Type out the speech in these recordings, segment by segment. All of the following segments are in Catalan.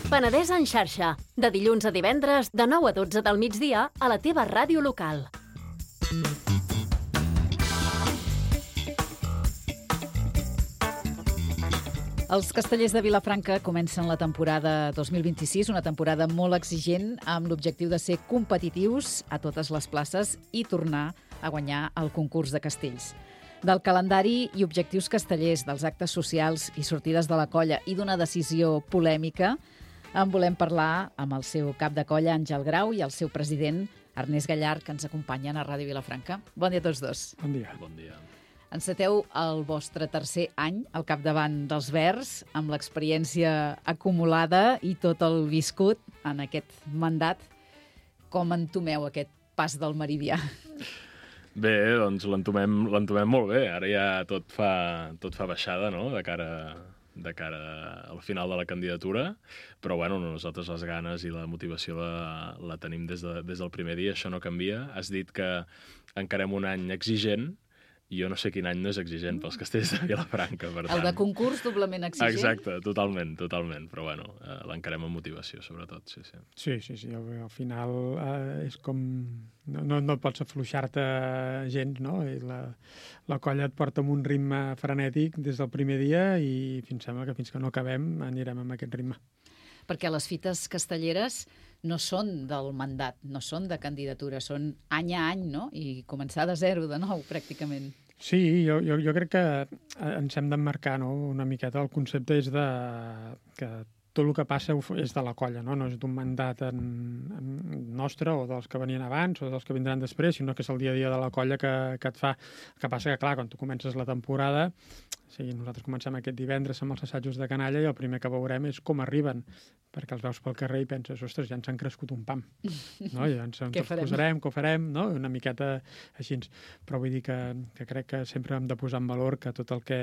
Penedès en xarxa, de dilluns a divendres, de 9 a 12 del migdia, a la teva ràdio local. Els Castellers de Vilafranca comencen la temporada 2026, una temporada molt exigent, amb l'objectiu de ser competitius a totes les places i tornar a guanyar el concurs de castells. Del calendari i objectius castellers, dels actes socials i sortides de la colla i d'una decisió polèmica, en volem parlar amb el seu cap de colla, Àngel Grau, i el seu president, Ernest Gallard, que ens acompanyen a Ràdio Vilafranca. Bon dia a tots dos. Bon dia. Bon dia. Enceteu el vostre tercer any al capdavant dels Verds, amb l'experiència acumulada i tot el viscut en aquest mandat. Com entomeu aquest pas del meridià? Bé, doncs l'entomem molt bé. Ara ja tot fa baixada, no?, de cara al final de la candidatura, però bueno, nosaltres les ganes i la motivació la tenim des del primer dia, això no canvia. Has dit que encarem un any exigent, i jo no sé quin any no és exigent pels Castells de Vilafranca, per tant. El de concurs doblement exigent? Exacte, totalment, però bueno, l'encarem amb motivació, sobretot, sí. Sí, al final és com... No pots afluixar-te gens, no? I la colla et porta amb un ritme frenètic des del primer dia i sembla que fins que no acabem anirem amb aquest ritme. Perquè les fites castelleres no són del mandat, no són de candidatura, són any a any, no? I començar de zero, de nou, pràcticament. Sí, jo crec que ens hem d'emmarcar, no?, una miqueta. El concepte és que tot el que passa és de la colla, no és d'un mandat nostre o dels que venien abans o dels que vindran després, sinó que és el dia a dia de la colla que et fa. El que passa que, clar, quan tu comences la temporada, sí, nosaltres comencem aquest divendres amb els assajos de canalla i el primer que veurem és com arriben, perquè els veus pel carrer i penses, ostres, ja ens han crescut un pam. No? Ja ens posarem, què ho farem, no? Una miqueta així. Però vull dir que crec que sempre hem de posar en valor que tot el que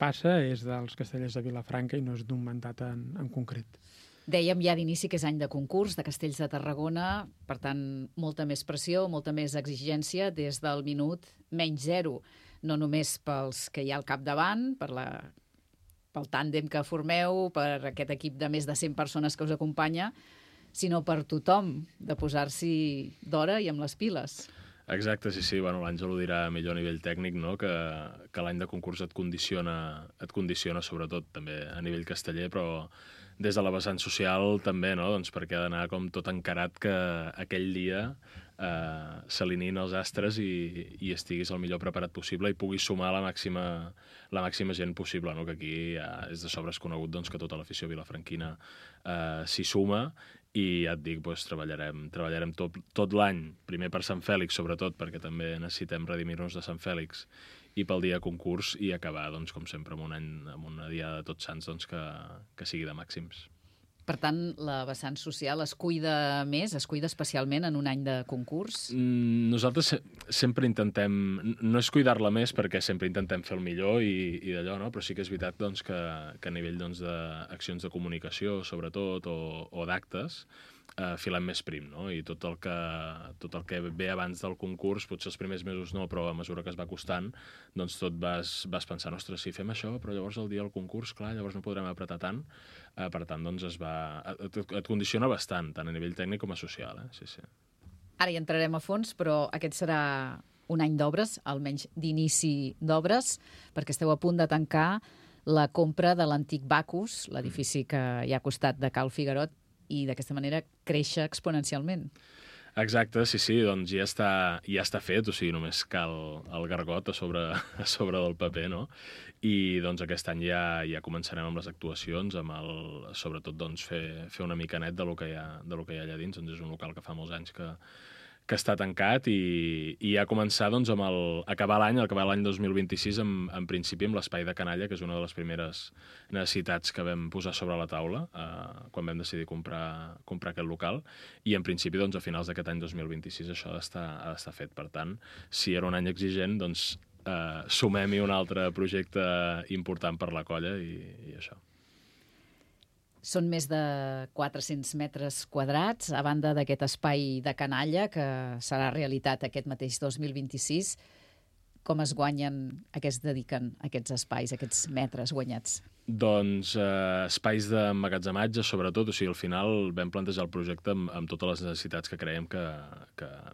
passa és dels Castellers de Vilafranca i no és d'un mandat en concret. Dèiem ja d'inici que és any de concurs de Castells de Tarragona, per tant, molta més pressió, molta més exigència des del minut menys zero, no només pels que hi ha al capdavant, pel tàndem que formeu, per aquest equip de més de 100 persones que us acompanya, sinó per tothom, de posar-s'hi d'hora i amb les piles. Exacte, sí. Bueno, l'Àngel ho dirà millor a nivell tècnic, no?, que l'any de concurs et condiciona sobretot també a nivell casteller, però des de la vessant social també, no?, doncs perquè ha d'anar com tot encarat que aquell dia s'alineïn els astres i estiguis el millor preparat possible i puguis sumar la màxima gent possible, no?, que aquí ja és de sobres conegut, doncs, que tota l'afició vilafranquina s'hi suma. I ja et dic, doncs, treballarem tot l'any, primer per Sant Fèlix, sobretot, perquè també necessitem redimir-nos de Sant Fèlix, i pel dia de concurs, i acabar, doncs, com sempre, amb una diada de Tots Sants, doncs, que sigui de màxims. Per tant, la vessant social es cuida més, es cuida especialment en un any de concurs? Nosaltres sempre intentem, no és cuidar-la més perquè sempre intentem fer el millor i d'allò, no? Però sí que és veritat, doncs, que a nivell, doncs, d'accions de comunicació, sobretot, o d'actes, filem més prim, no? I tot el que ve abans del concurs, potser els primers mesos no, però a mesura que es va costant, doncs tot vas pensant, ostres, si fem això, però llavors el dia del concurs, clar, llavors no podrem apretar tant. Per tant, doncs et condiciona bastant, tant a nivell tècnic com a social, sí. Ara hi entrarem a fons, però aquest serà un any d'obres, almenys d'inici d'obres, perquè esteu a punt de tancar la compra de l'antic Bacus, l'edifici que hi ha al costat de Cal Figuerot, i d'aquesta manera créixer exponencialment. Exacte, sí, doncs ja està fet, o sigui, només cal el gargot a sobre del paper, no? I doncs aquest any ja començarem amb les actuacions, sobretot doncs fer una mica net de lo que hi ha allà dins, doncs és un local que fa molts anys que està tancat i ja començar doncs amb acabar l'any 2026 en principi amb l'espai de canalla, que és una de les primeres necessitats que vam posar sobre la taula quan vam decidir comprar aquest local, i en principi doncs a finals d'aquest any 2026 això ha d'estar fet. Per tant, si era un any exigent, doncs sumem-hi un altre projecte important per la colla i això. Són més de 400 metres quadrats, a banda d'aquest espai de canalla que serà realitat aquest mateix 2026. Com es guanyen, a què es dediquen aquests espais, aquests metres guanyats? Doncs espais d'emmagatzematge, sobretot. O sigui, al final vam plantejar el projecte amb totes les necessitats que creiem que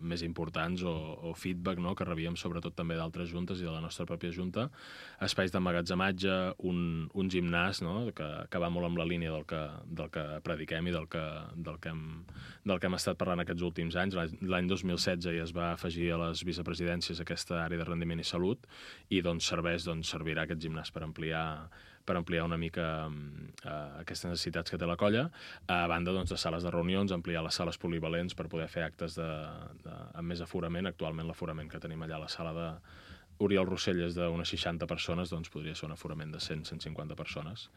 més importants o feedback, no?, que rebíem sobretot també d'altres juntes i de la nostra pròpia junta. Espais d'emmagatzematge, un gimnàs, no?, que va molt amb la línia del que prediquem i del que hem estat parlant aquests últims anys. L'any 2016 ja es va afegir a les vicepresidències aquesta àrea de rendiment i salut i doncs servirà aquest gimnàs per ampliar una mica aquestes necessitats que té la colla, a banda de sales de reunions, ampliar les sales polivalents per poder fer actes amb més aforament. Actualment l'aforament que tenim allà a la sala de Oriol Rossell és d'unes 60 persones, doncs podria ser un aforament de 100-150 persones.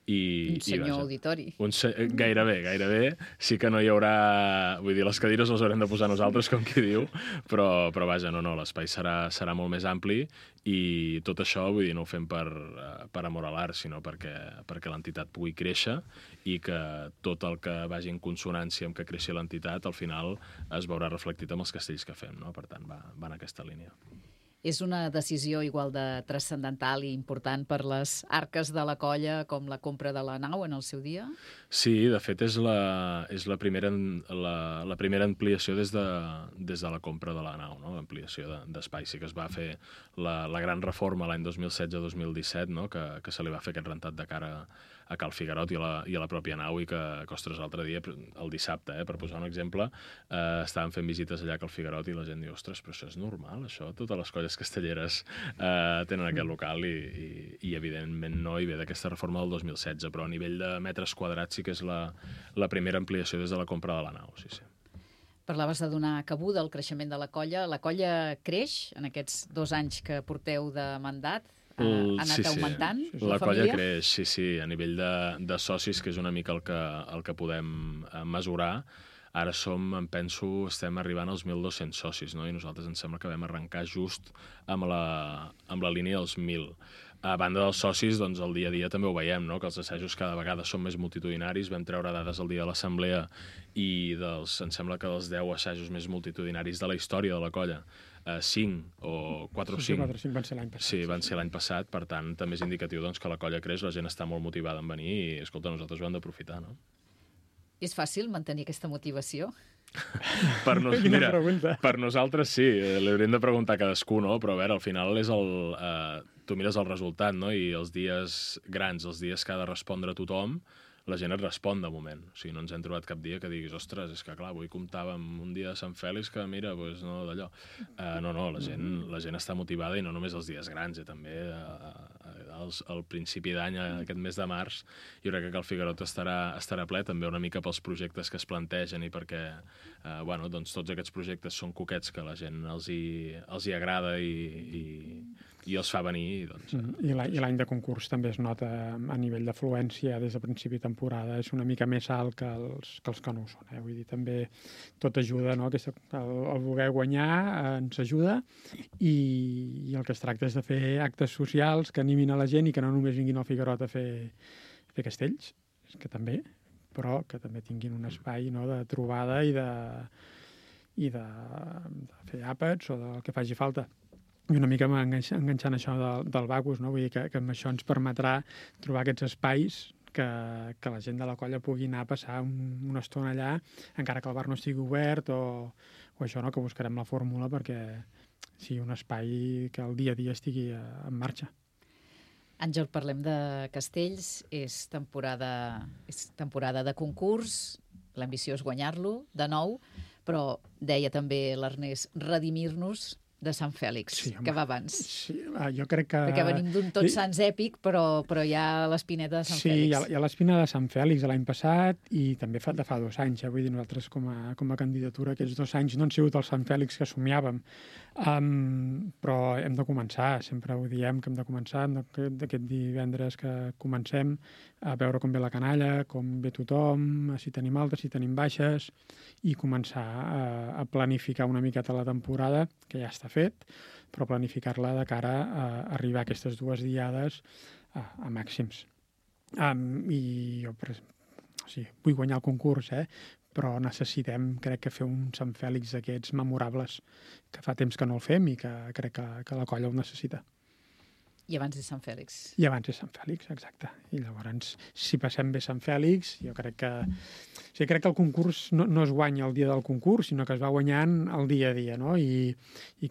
Un senyor auditori. Gairebé. Sí que no hi haurà... Vull dir, les cadires les haurem de posar nosaltres, com qui diu, però vaja, no, l'espai serà molt més ampli i tot això, vull dir, no ho fem per amor a l'art, sinó perquè l'entitat pugui créixer i que tot el que vagi en consonància amb que creixi l'entitat, al final es veurà reflectit amb els castells que fem, no? Per tant, va en aquesta línia. És una decisió igual de transcendental i important per les arques de la colla com la compra de la nau en el seu dia? Sí, de fet és la primera ampliació des de la compra de la nau, no? L'ampliació d'espai. Sí que es va fer la gran reforma l'any 2016-2017, no? Que se li va fer aquest rentat de cara a Cal Figuerot i a la pròpia nau i que, ostres, l'altre dia, el dissabte, per posar un exemple, estàvem fent visites allà a Cal Figuerot i la gent diu, ostres, però això és normal, això? Totes les colles castelleres tenen aquest local i evidentment no, i ve d'aquesta reforma del 2016, però a nivell de metres quadrats sí que és la primera ampliació des de la compra de la nau, sí. Parlaves de donar cabuda al creixement de la colla. La colla creix en aquests 2 anys que porteu de mandat? Ha anat augmentant? La colla creix, sí. A nivell de socis, que és una mica el que podem mesurar, ara estem arribant als 1.200 socis, no? I nosaltres ens sembla que vam arrencar just amb la línia dels 1.000. A banda dels socis, doncs el dia a dia també ho veiem, no? Que els assajos cada vegada són més multitudinaris. Vam treure dades el dia de l'assemblea i em sembla que dels 10 assajos més multitudinaris de la història de la colla, 5 o 4 o 5... 4 o 5 van ser l'any passat. Sí, van ser l'any passat, per tant, també és indicatiu que la colla creix, la gent està molt motivada en venir i, escolta, nosaltres ho hem d'aprofitar, no? És fàcil mantenir aquesta motivació? Mira, per nosaltres sí, li hauríem de preguntar a cadascú, no? Però a veure, al final és tu mires el resultat, no? I els dies grans, els dies que ha de respondre tothom, la gent et respon de moment. O sigui, no ens hem trobat cap dia que diguis, ostres, és que clar, avui comptàvem un dia de Sant Fèlix que, mira, doncs no, d'allò. No, la gent està motivada i no només els dies grans, també al principi d'any, aquest mes de març, jo crec que Cal Figuerot estarà ple, també una mica pels projectes que es plantegen i perquè, doncs tots aquests projectes són coquets que a la gent els hi agrada i els fa venir. I l'any de concurs també es nota a nivell d'afluència des de principi de temporada, és una mica més alt que els que no ho són. Vull dir, també tot ajuda, no? El voler guanyar ens ajuda i el que es tracta és de fer actes socials que animin a la gent i que no només vinguin al Figuerot a fer castells, que també, però que també tinguin un espai, no?, de trobada i de fer àpats o del que faci falta. I una mica enganxant això del Bacus, no? Vull dir que amb això ens permetrà trobar aquests espais que la gent de la colla pugui anar a passar una estona allà, encara que el bar no estigui obert o això, no? Que buscarem la fórmula perquè sigui un espai que el dia a dia estigui en marxa. Àngel, parlem de castells, és temporada de concurs, l'ambició és guanyar-lo de nou, però deia també l'Ernest, redimir-nos de Sant Fèlix, sí, que va abans. Sí, jo crec que... Perquè venim d'un Tots Sants èpic, però hi ha l'espineta de Sant Fèlix. Sí, hi ha l'espina de Sant Fèlix l'any passat i també fa 2 anys. Vull dir, nosaltres com a candidatura aquests 2 anys no han sigut el Sant Fèlix que somiàvem, però hem de començar, sempre ho diem que hem de començar, d'aquest divendres que comencem a veure com ve la canalla, com ve tothom, si tenim altes, si tenim baixes, i començar a planificar una miqueta la temporada, que ja està fet, però planificar-la de cara a arribar a aquestes 2 diades a màxims. I jo vull guanyar el concurs, però necessitem, crec que, fer un Sant Fèlix d'aquests memorables, que fa temps que no el fem i que crec que la colla ho necessita. I abans és Sant Fèlix. I abans és Sant Fèlix, exacte. I llavors, si passem bé Sant Fèlix, jo crec que... O sigui, crec que el concurs no es guanya el dia del concurs, sinó que es va guanyant el dia a dia, no? I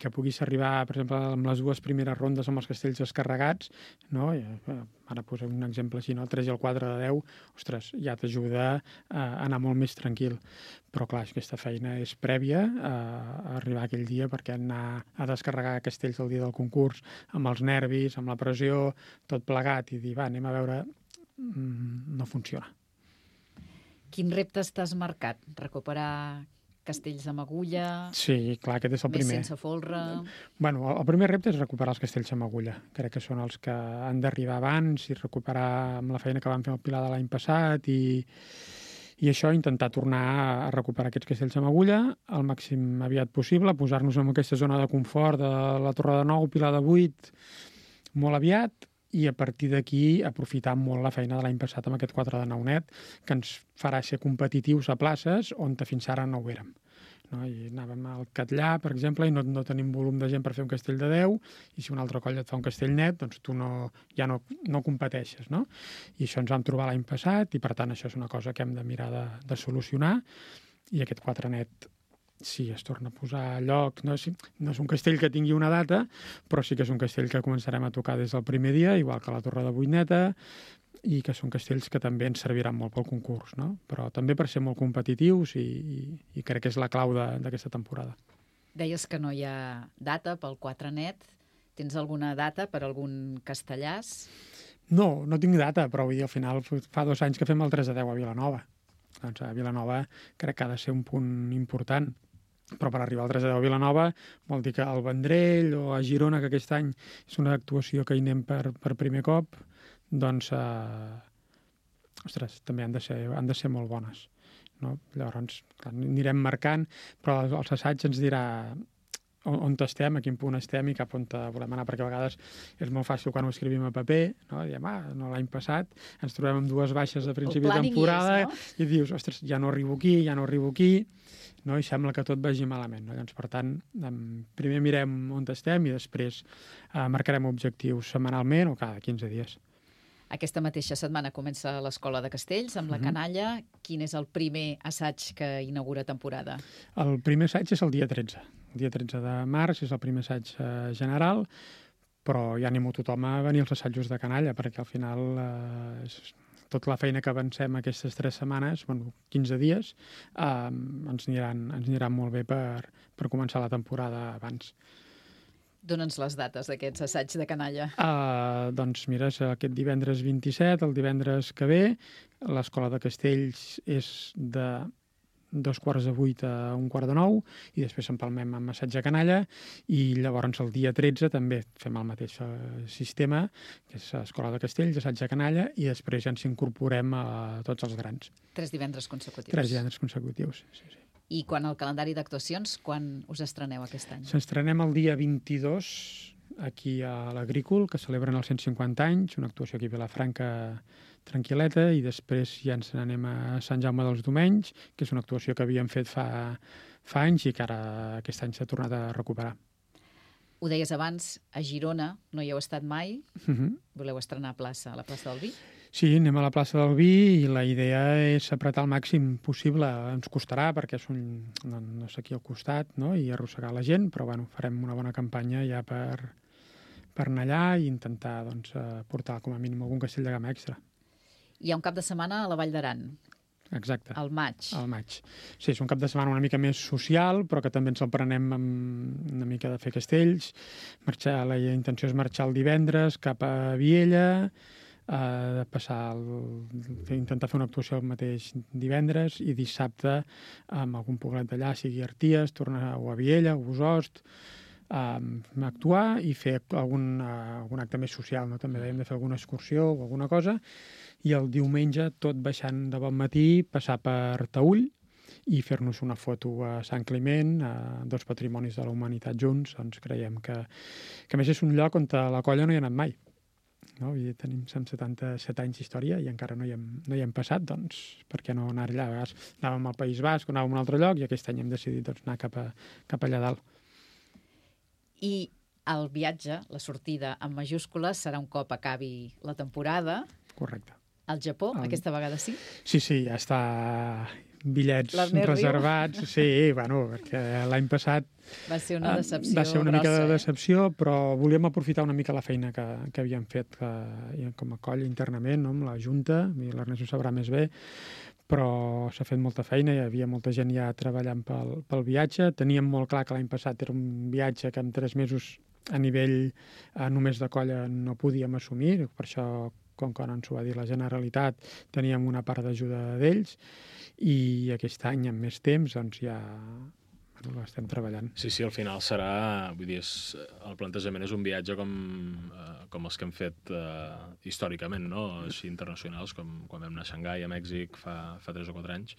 que puguis arribar, per exemple, amb les 2 primeres rondes amb els castells descarregats, no? I, ara posem un exemple així, no? El 3 i el 4 de 10, ostres, ja t'ajuda a anar molt més tranquil. Però, clar, aquesta feina és prèvia a arribar aquell dia, perquè anar a descarregar castells el dia del concurs, amb els nervis, amb la pressió, tot plegat, i dir, va, anem a veure, no funciona. Quin reptes t'has marcat? Recuperar castells amb agulla? Sí, clar, aquest és el primer. Més sense folre? Bueno, el primer repte és recuperar els castells amb agulla. Crec que són els que han d'arribar abans i recuperar amb la feina que vam fer al Pilar de l'any passat i això, intentar tornar a recuperar aquests castells amb agulla al màxim aviat possible, posar-nos en aquesta zona de confort de la Torre de Nou, Pilar de 8, molt aviat, i a partir d'aquí aprofitar molt la feina de l'any passat amb aquest 4 de 9 net, que ens farà ser competitius a places on fins ara no ho érem. No? I anàvem al Catllà, per exemple, i no tenim volum de gent per fer un castell de 10, i si una altra colla et fa un castell net, doncs tu ja no competeixes. No? I això ens vam trobar l'any passat, i per tant això és una cosa que hem de mirar de solucionar, i aquest 4 net sí, es torna a posar a lloc. No és un castell que tingui una data, però sí que és un castell que començarem a tocar des del primer dia, igual que la Torre de Vuitneta, i que són castells que també ens serviran molt pel concurs, no? Però també per ser molt competitius i crec que és la clau d'aquesta temporada. Deies que no hi ha data pel 4 net. Tens alguna data per algun castellàs? No tinc data, però vull dir, al final fa 2 anys que fem el 3 de 10 a Vilanova. Doncs a Vilanova crec que ha de ser un punt important. Però per arribar al 3 de 10 a Vilanova vol dir que al Vendrell o a Girona, que aquest any és una actuació que hi anem per primer cop, doncs, ostres, també han de ser molt bones. No? Llavors, clar, anirem marcant, però els assaigs ens dirà on estem, a quin punt estem i cap on volem anar, perquè a vegades és molt fàcil quan ho escrivim a paper, no? Diem, no, l'any passat ens trobem amb 2 baixes de principi de temporada i dius, ostres, ja no arribo aquí, no? I sembla que tot vagi malament. No? Llavors, per tant, primer mirem on estem i després marcarem objectius setmanalment o cada 15 dies. Aquesta mateixa setmana comença l'Escola de Castells amb la canalla. Quin és el primer assaig que inaugura temporada? El primer assaig és el dia 13. El dia 13 de març és el primer assaig general, però ja animo tothom a venir als assajos de canalla, perquè al final tota la feina que avancem aquestes 3 setmanes, 15 dies, ens aniran molt bé per començar la temporada abans. Dona'ns les dates d'aquests assaigs de canalla. Doncs mira, és aquest divendres 27, el divendres que ve. L'Escola de Castells és de 7:45 a 8:45 i després empalmem amb assaig de canalla i llavors el dia 13 també fem el mateix sistema, que és Escola de Castells, assaig de canalla i després ja ens incorporem a tots els grans. 3 divendres consecutius. 3 divendres consecutius, sí. I quan el calendari d'actuacions, quan us estreneu aquest any? S'estrenem el dia 22 aquí a l'Agrícol, que celebren els 150 anys, una actuació aquí a Vilafranca tranquil·leta, i després ja ens n'anem a Sant Jaume dels Domenys, que és una actuació que havíem fet fa anys i que ara aquest any s'ha tornat a recuperar. Ho deies abans, a Girona no hi heu estat mai. Voleu estrenar a la plaça del Vi? Sí, anem a la plaça del Vi i la idea és apretar el màxim possible. Ens costarà perquè no és aquí al costat, no? I arrossegar la gent, però bueno, farem una bona campanya ja per anar allà i intentar portar com a mínim algun castell de gamma extra. Hi ha un cap de setmana a la Vall d'Aran. Exacte. Al maig. Al maig. Sí, és un cap de setmana una mica més social, però que també ens el prenem amb una mica de fer castells. La intenció és marxar el divendres cap a Viella, intentar fer una actuació el mateix divendres i dissabte amb algun poblet d'allà, sigui Arties, tornar a Viella o Bosost, actuar i fer algun acte més social, no? També hem de fer alguna excursió o alguna cosa, i el diumenge, tot baixant de bon matí, passar per Taüll i fer-nos una foto a Sant Climent, dos patrimonis de la humanitat junts. Doncs creiem que a més és un lloc on la colla no hi ha anat mai. No? Tenim 177 anys d'història i encara no hi hem passat, doncs per què no anar allà? A vegades anàvem al País Basc, anàvem a un altre lloc i aquest any hem decidit anar cap allà dalt. I el viatge, la sortida en majúscules, serà un cop acabi la temporada. Correcte. Al Japó, aquesta vegada sí? Sí, ja està bitllets reservats. Sí, bueno, perquè l'any passat va ser una decepció va ser una grossa, mica de decepció, però volíem aprofitar una mica la feina que havíem fet com a coll internament, no? Amb la Junta, l'Ernest ho sabrà més bé, però s'ha fet molta feina, hi havia molta gent ja treballant pel viatge. Teníem molt clar que l'any passat era un viatge que en 3 mesos a nivell només de colla no podíem assumir, per això, com que ens ho va dir la Generalitat, teníem una part d'ajuda d'ells, i aquest any, amb més temps, doncs ja l'estem treballant. Sí, al final serà... Vull dir, el plantejament és un viatge com els que hem fet històricament, no? Així internacionals, com quan vam anar a Xangai, a Mèxic, fa 3 o 4 anys.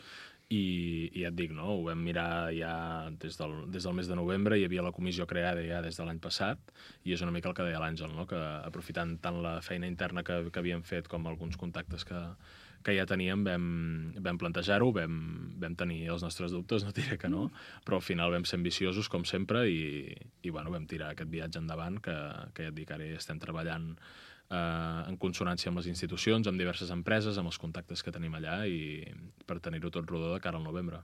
I ja et dic, no? Ho vam mirar ja des del mes de novembre, hi havia la comissió creada ja des de l'any passat, i és una mica el que deia l'Àngel, no? Que aprofitant tant la feina interna que havíem fet com alguns contactes que ja teníem, vam plantejar-ho, vam tenir els nostres dubtes, no diré que no, però al final vam ser ambiciosos, com sempre, i bueno, vam tirar aquest viatge endavant, que ja et dic, ara ja estem treballant en consonància amb les institucions, amb diverses empreses, amb els contactes que tenim allà, i per tenir-ho tot rodó de cara al novembre.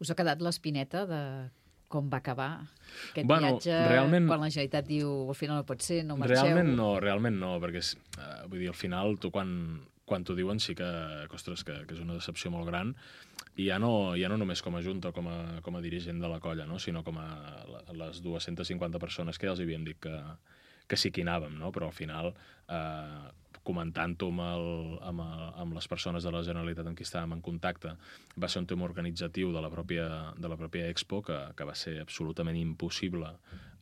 Us ha quedat l'espineta de com va acabar aquest viatge, realment, quan la Generalitat diu al final no pot ser, no marxeu? Realment no, perquè vull dir, al final tu quan t'ho diuen sí que, ostres, que és una decepció molt gran, i ja no només com a junta o com a dirigent de la colla, no? Sinó com a les 250 persones que ja els havíem dit que sí que hi anàvem, no? Però al final, comentant-ho amb les persones de la Generalitat amb qui estàvem en contacte, va ser un tema organitzatiu de la pròpia Expo que va ser absolutament impossible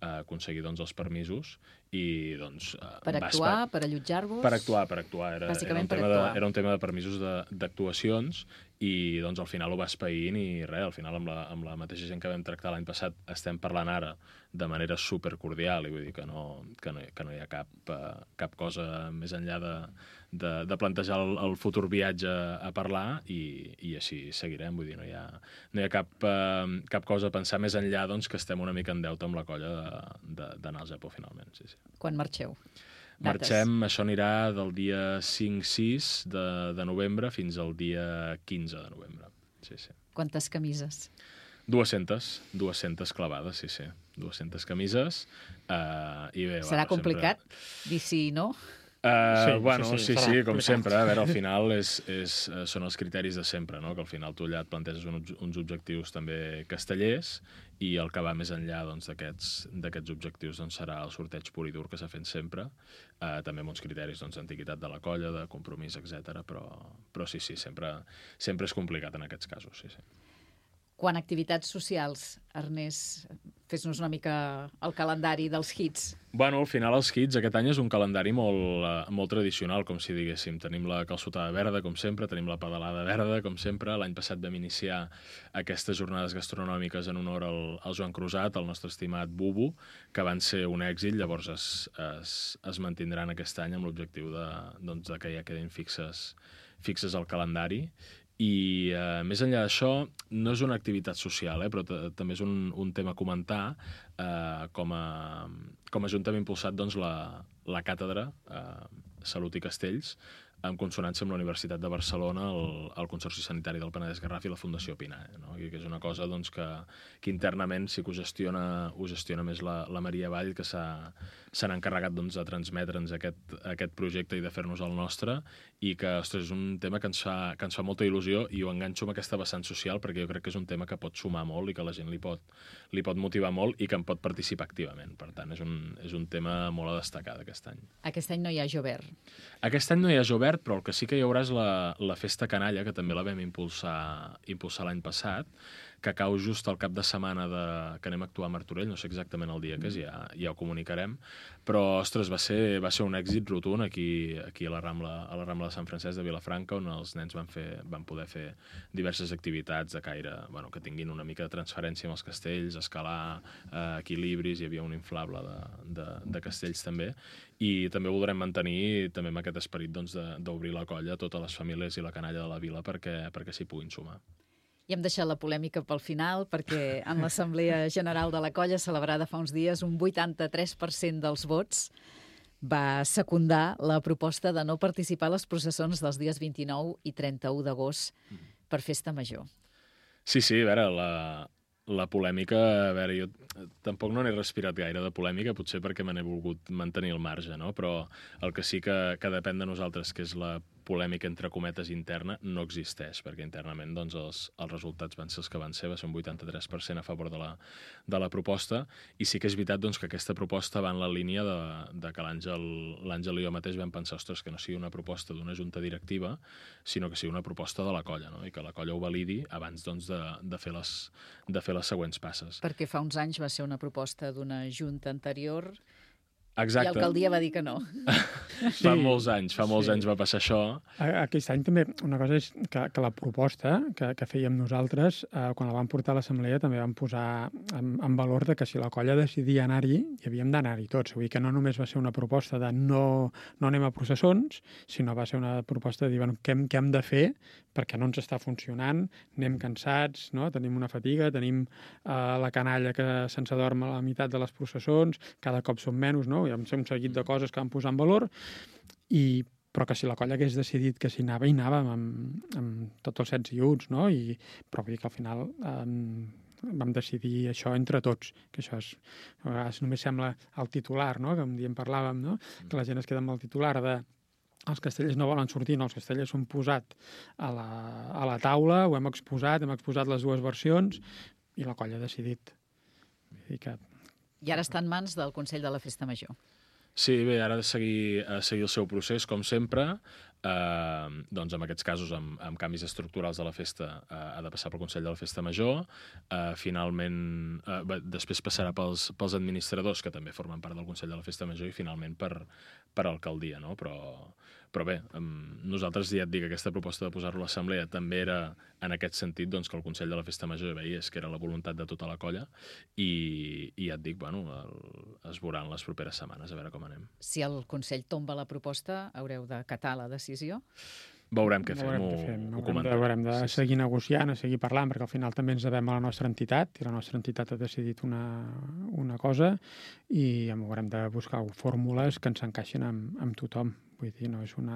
aconseguir els permisos, i doncs... Per actuar, per allotjar-vos? Per actuar. Era un tema de permisos d'actuacions, i doncs al final ho va espaïnt, i res, al final amb la mateixa gent que vam tractar l'any passat estem parlant ara de manera supercordial, i vull dir que no hi ha cap cosa més enllà de plantejar el futur viatge a parlar, i així seguirem. Vull dir, no hi ha cap cosa a pensar més enllà, doncs, que estem una mica en deute amb la colla d'anar al Japó finalment. Sí. Quan marxeu? Marxem, això anirà del dia 5-6 de novembre fins al dia 15 de novembre. Sí. Quantes camises? 200 clavades, sí. 200 camises. I bé, serà complicat dir sí i no? Sí, com sempre. A veure, al final són els criteris de sempre, no? Que al final tu allà et planteges uns objectius també castellers, i el que va més enllà d'aquests objectius serà el sorteig pur i dur que s'ha fet sempre, també amb uns criteris d'antiguitat de la colla, de compromís, etc. Però sí, sempre és complicat en aquests casos, sí. Quan a activitats socials, Ernest, fes-nos una mica el calendari dels hits. Bueno, al final els hits aquest any és un calendari molt tradicional, com si diguéssim. Tenim la calçotada verda, com sempre, tenim la pedalada verda, com sempre. L'any passat vam iniciar aquestes jornades gastronòmiques en honor al Joan Crusat, el nostre estimat Bubu, que van ser un èxit, llavors es mantindran aquest any amb l'objectiu de que ja quedin fixes al calendari. I més enllà d'això, no és una activitat social, però també és un tema a comentar. Com a Junta hem impulsat la càtedra Salut i Castells, en consonància amb la Universitat de Barcelona, el Consorci Sanitari del Penedès Garraf i la Fundació Pinar, no? I que és una cosa que internament sí que ho gestiona més la Maria Vall, que s'han encarregat de transmetre'ns aquest projecte i de fer-nos el nostre, i que, ostres, és un tema que ens fa molta il·lusió, i ho enganxo amb aquesta vessant social, perquè jo crec que és un tema que pot sumar molt i que la gent li pot motivar molt i que en pot participar activament. Per tant, és un tema molt a destacar d'aquest any. Aquest any no hi ha Jovert. Aquest any no hi ha Jovert, però el que sí que hi haurà és la Festa Canalla, que també la vam impulsar l'any passat, que cau just al cap de setmana que anem a actuar a Martorell, no sé exactament el dia que és, ja ho comunicarem, però, ostres, va ser un èxit rotund aquí a la Rambla de Sant Francesc de Vilafranca, on els nens van poder fer diverses activitats de caire, que tinguin una mica de transferència amb els castells, escalar equilibris, hi havia un inflable de castells també, i també voldrem mantenir també amb aquest esperit d'obrir la colla a totes les famílies i la canalla de la vila perquè s'hi puguin sumar. I hem deixat la polèmica pel final, perquè en l'Assemblea General de la Colla, celebrada fa uns dies, un 83% dels vots va secundar la proposta de no participar a les processons dels dies 29 i 31 d'agost per Festa Major. Sí, a veure, la polèmica, a veure, jo tampoc no n'he respirat gaire de polèmica, potser perquè me n'he volgut mantenir el marge, no? Però el que sí que depèn de nosaltres, que és la polèmica entre cometes interna, no existeix, perquè internament doncs, els resultats van ser els que van ser, va ser un 83% a favor de la proposta, i sí que és veritat doncs, que aquesta proposta va en la línia de que l'Àngel i jo mateix vam pensar, ostres, que no sigui una proposta d'una junta directiva, sinó que sigui una proposta de la colla, no? I que la colla ho validi abans doncs, de fer les següents passes. Perquè fa uns anys va ser una proposta d'una junta anterior. Exacte. I l'alcaldia va dir que no. Fa molts anys va passar això. Aquest any també, una cosa és que la proposta que fèiem nosaltres, quan la vam portar a l'assemblea, també vam posar en valor de que si la colla decidia anar-hi, hi havíem d'anar-hi tots. Vull dir que no només va ser una proposta de no anem a processons, sinó va ser una proposta de dir, bueno, què hem de fer perquè no ens està funcionant, anem cansats, no? Tenim una fatiga, tenim la canalla que se'ns adorm a la meitat de les processons, cada cop som menys, no? Hi ha un seguit de coses que vam posar en valor, però que si la colla hagués decidit que s'hi anava, hi anàvem amb tots els 16 iuts, no? Però vull dir que al final vam decidir això entre tots, que això a vegades només sembla el titular, no? Que un dia en parlàvem, no? Que la gent es queda amb el titular de els castellers no volen sortir, no, els castellers s'han posat a la taula, ho hem exposat les dues versions i la colla ha decidit. I ara està en mans del Consell de la Festa Major. Sí, bé, ara ha de seguir el seu procés, com sempre. Doncs en aquests casos, amb canvis estructurals de la festa, ha de passar pel Consell de la Festa Major. Finalment, després passarà pels administradors, que també formen part del Consell de la Festa Major, i finalment per alcaldia, no? Però bé, nosaltres ja et dic que aquesta proposta de posar-lo a l'assemblea també era en aquest sentit doncs, que el Consell de la Festa Major veiés que era la voluntat de tota la colla i ja et dic, bueno, es veuran les properes setmanes, a veure com anem. Si el Consell tomba la proposta, haureu d'acatar la decisió? Veurem què fem, ho comentarem. Haurem de seguir negociant, seguir parlant, perquè al final també ens devem a la nostra entitat, i la nostra entitat ha decidit una cosa, i haurem de buscar fórmules que ens encaixin amb tothom. Vull dir, no és un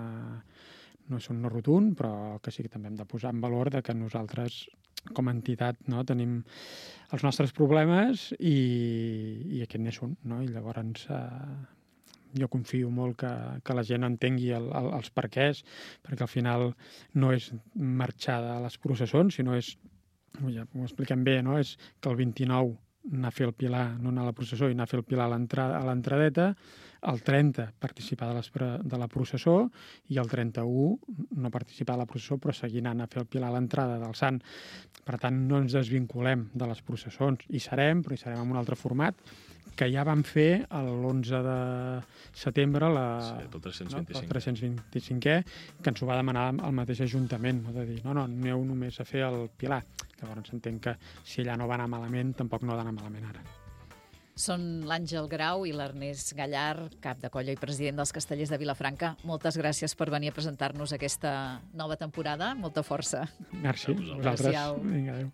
no rotund, però que sí que també hem de posar en valor de que nosaltres, com a entitat, no, tenim els nostres problemes i aquest n'és un, no? I llavors jo confio molt que la gent entengui els perquès, perquè al final no és marxar de les processons, sinó és, ja ho expliquem bé, no? És que el 29 anar a fer el pilar, no anar a la processó, i anar a fer el pilar a l'entradeta, el 30 participar de la processó i el 31 no participar de la processó però seguir anant a fer el pilar a l'entrada del Sant. Per tant, no ens desvinculem de les processons. Hi serem, però hi serem en un altre format que ja vam fer l'11 de setembre el 325è, que ens ho va demanar el mateix Ajuntament, no? De dir, no, aneu només a fer el pilar. Llavors entenc que si allà no va anar malament, tampoc no ha d'anar malament ara. Són l'Àngel Grau i l'Ernest Gallar, cap de colla i president dels Castellers de Vilafranca. Moltes gràcies per venir a presentar-nos aquesta nova temporada. Molta força. Merci. Adéu-siau. Vinga, adéu.